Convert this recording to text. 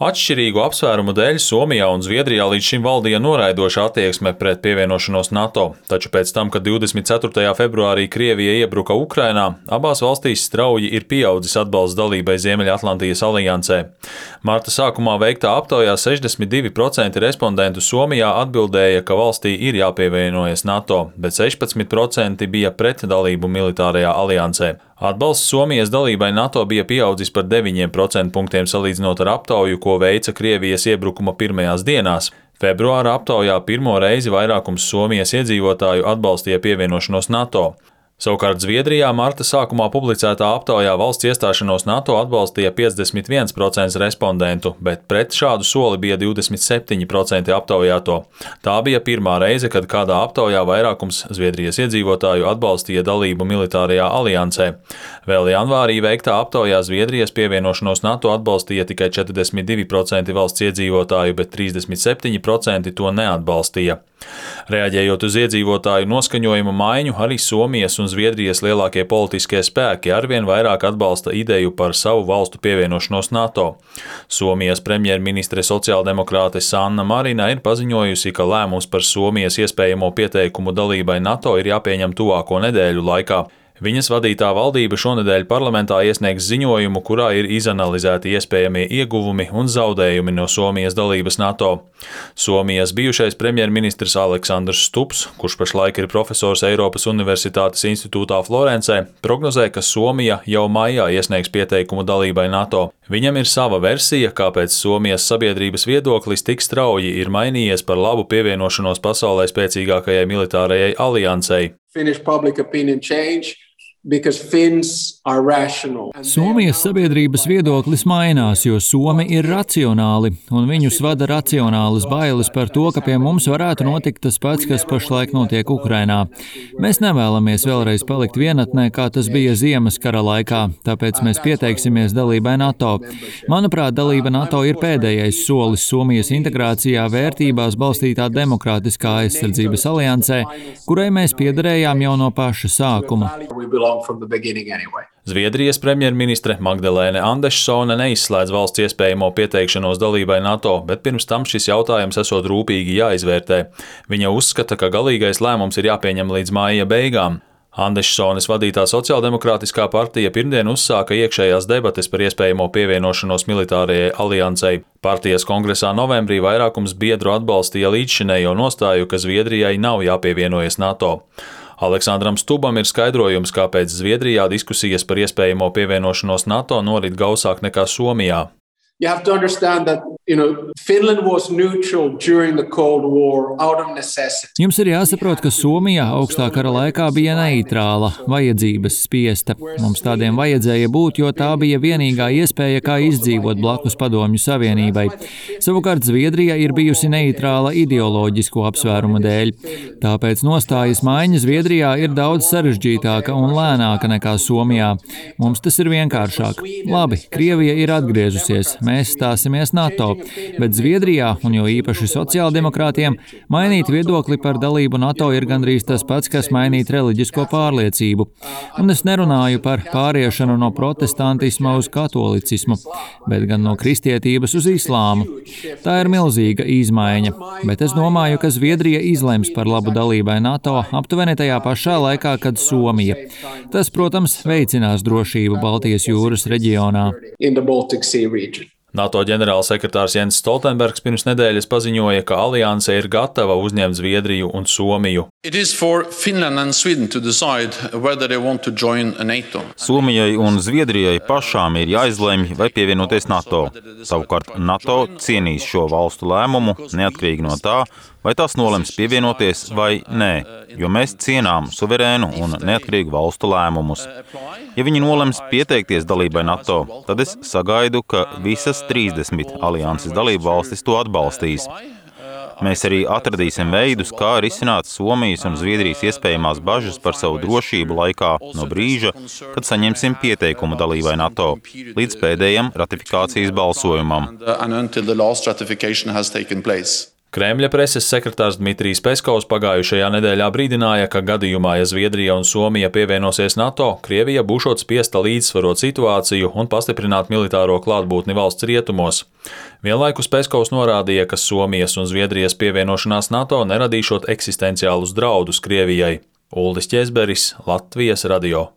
Atšķirīgu apsvērumu dēļ Somijā un Zviedrijā līdz šim valdīja noraidoša attieksme pret pievienošanos NATO, taču pēc tam, kad 24. februārī Krievija iebruka Ukrainā, abās valstīs strauji ir pieaudzis atbalsts dalībai Ziemeļatlantijas aliansē. Marta sākumā veiktā aptaujā 62% respondentu Somijā atbildēja, ka valstī ir jāpievienojas NATO, bet 16% bija pret dalību militārajā aliansē. Atbalsts Somijas dalībai NATO bija pieaudzis par 9% punktiem salīdzinot ar aptauju, ko veica Krievijas iebrukuma pirmajās dienās. Februāra aptaujā pirmo reizi vairākums Somijas iedzīvotāju atbalstīja pievienošanos NATO. Savukārt Zviedrijā marta sākumā publicētā aptaujā valsts iestāšanos NATO atbalstīja 51% respondentu, bet pret šādu soli bija 27% aptaujāto. Tā bija pirmā reize, kad kādā aptaujā vairākums Zviedrijas iedzīvotāju atbalstīja dalību militārajā aliansē. Vēl janvārī veiktā aptaujā Zviedrijas pievienošanos NATO atbalstīja tikai 42% valsts iedzīvotāju, bet 37% to neatbalstīja. Reaģējot uz iedzīvotāju noskaņojumu maiņu, arī Somijas un Zviedrijas lielākie politiskie spēki arvien vairāk atbalsta ideju par savu valstu pievienošanos NATO. Somijas premjerministre sociāldemokrāte Sanna Marina ir paziņojusi, ka lēmums par Somijas iespējamo pieteikumu dalībai NATO ir jāpieņem tuvāko nedēļu laikā. Viņas vadītā valdība šonedēļ parlamentā iesniegs ziņojumu, kurā ir izanalizēti iespējamie ieguvumi un zaudējumi no Somijas dalības NATO. Somijas bijušais premjerministrs Aleksandrs Stubbs, kurš pašlaik ir profesors Eiropas Universitātes institūtā Florencē, prognozē, ka Somija jau maijā iesniegs pieteikumu dalībai NATO. Viņam ir sava versija, kāpēc Somijas sabiedrības viedoklis tik strauji ir mainījies par labu pievienošanos pasaulē spēcīgākajai militārajai aliansei. Somijas sabiedrības viedoklis mainās, jo Somi ir racionāli, un viņus vada racionālas bailes par to, ka pie mums varētu notikt tas pats, kas pašlaik notiek Ukrainā. Mēs nevēlamies vēlreiz palikt vienatnē, kā tas bija Ziemas kara laikā, tāpēc mēs pieteiksimies dalībai NATO. Manuprāt, dalība NATO ir pēdējais solis Somijas integrācijā vērtībās balstītā demokrātiskā aizsardzības aliansē, kurai mēs piederējām jau no paša sākuma. Zviedrijas premjerministre Magdalēne Andersone neizslēdz valsts iespējamo pieteikšanos dalībai NATO, bet pirms tam šis jautājums esot rūpīgi jāizvērtē. Viņa uzskata, ka galīgais lēmums ir jāpieņem līdz māja beigām. Andersones vadītā sociāldemokrātiskā partija pirmdien uzsāka iekšējās debates par iespējamo pievienošanos militārajai aliansei. Partijas kongresā novembrī vairākums biedru atbalstīja līdzšinējo nostāju, ka Zviedrijai nav jāpievienojas NATO. Aleksandram Stubbam ir skaidrojums, kāpēc Zviedrijā diskusijas par iespējamo pievienošanos NATO norit gausāk nekā Somijā. Jums ir jāsaprot, ka Somija augstā kara laikā bija neitrāla, vajadzības spiesta. Mums tādiem vajadzēja būt, jo tā bija vienīgā iespēja, kā izdzīvot blakus Padomju Savienībai. Savukārt Zviedrija ir bijusi neitrāla ideoloģisku apsvērumu dēļ. Tāpēc nostājas maiņa Zviedrijā ir daudz sarežģītāka un lēnāka nekā Somijā. Mums tas ir vienkāršāk. Labi, Krievija ir atgriezusies. Mēs stāsimies NATO, bet Zviedrijā, un jo īpaši sociāldemokrātiem, mainīt viedokli par dalību NATO ir gandrīz tas pats, kas mainīt reliģisko pārliecību. Un es nerunāju par pāriešanu no protestantisma uz katolicismu, bet gan no kristietības uz islāmu. Tā ir milzīga izmaiņa, bet es domāju, ka Zviedrija izlems par labu dalībai NATO aptuveni tajā pašā laikā, kad Somija. Tas, protams, veicinās drošību Baltijas jūras reģionā. NATO ģenerālsekretārs Jens Stoltenbergs pirms nedēļas paziņoja, ka alianse ir gatava uzņemt Zviedriju un Somiju. Somijai un Zviedrijai pašām ir jāizlemj, vai pievienoties NATO. Savukārt NATO cienīs šo valstu lēmumu, neatkarīgi no tā, vai tās nolems pievienoties vai nē, jo mēs cienām suverēnu un neatkarīgu valstu lēmumus. Ja viņi nolems pieteikties dalībai NATO, tad es sagaidu, ka visas 30 alianses dalību valstis to atbalstīs. Mēs arī atradīsim veidus, kā risināt Somijas un Zviedrijas iespējamās bažas par savu drošību laikā no brīža, kad saņemsim pieteikumu dalībai NATO, līdz pēdējam ratifikācijas balsojumam. Kremļa preses sekretārs Dmitrijs Peskovs pagājušajā nedēļā brīdināja, ka gadījumā, ja Zviedrija un Somija pievienosies NATO, Krievija būšot spiesta līdzsvarot situāciju un pastiprināt militāro klātbūtni valsts rietumos. Vienlaikus Peskovs norādīja, ka Somijas un Zviedrijas pievienošanās NATO neradīšot eksistenciālus draudus Krievijai. Uldis Ķezberis, Latvijas radio.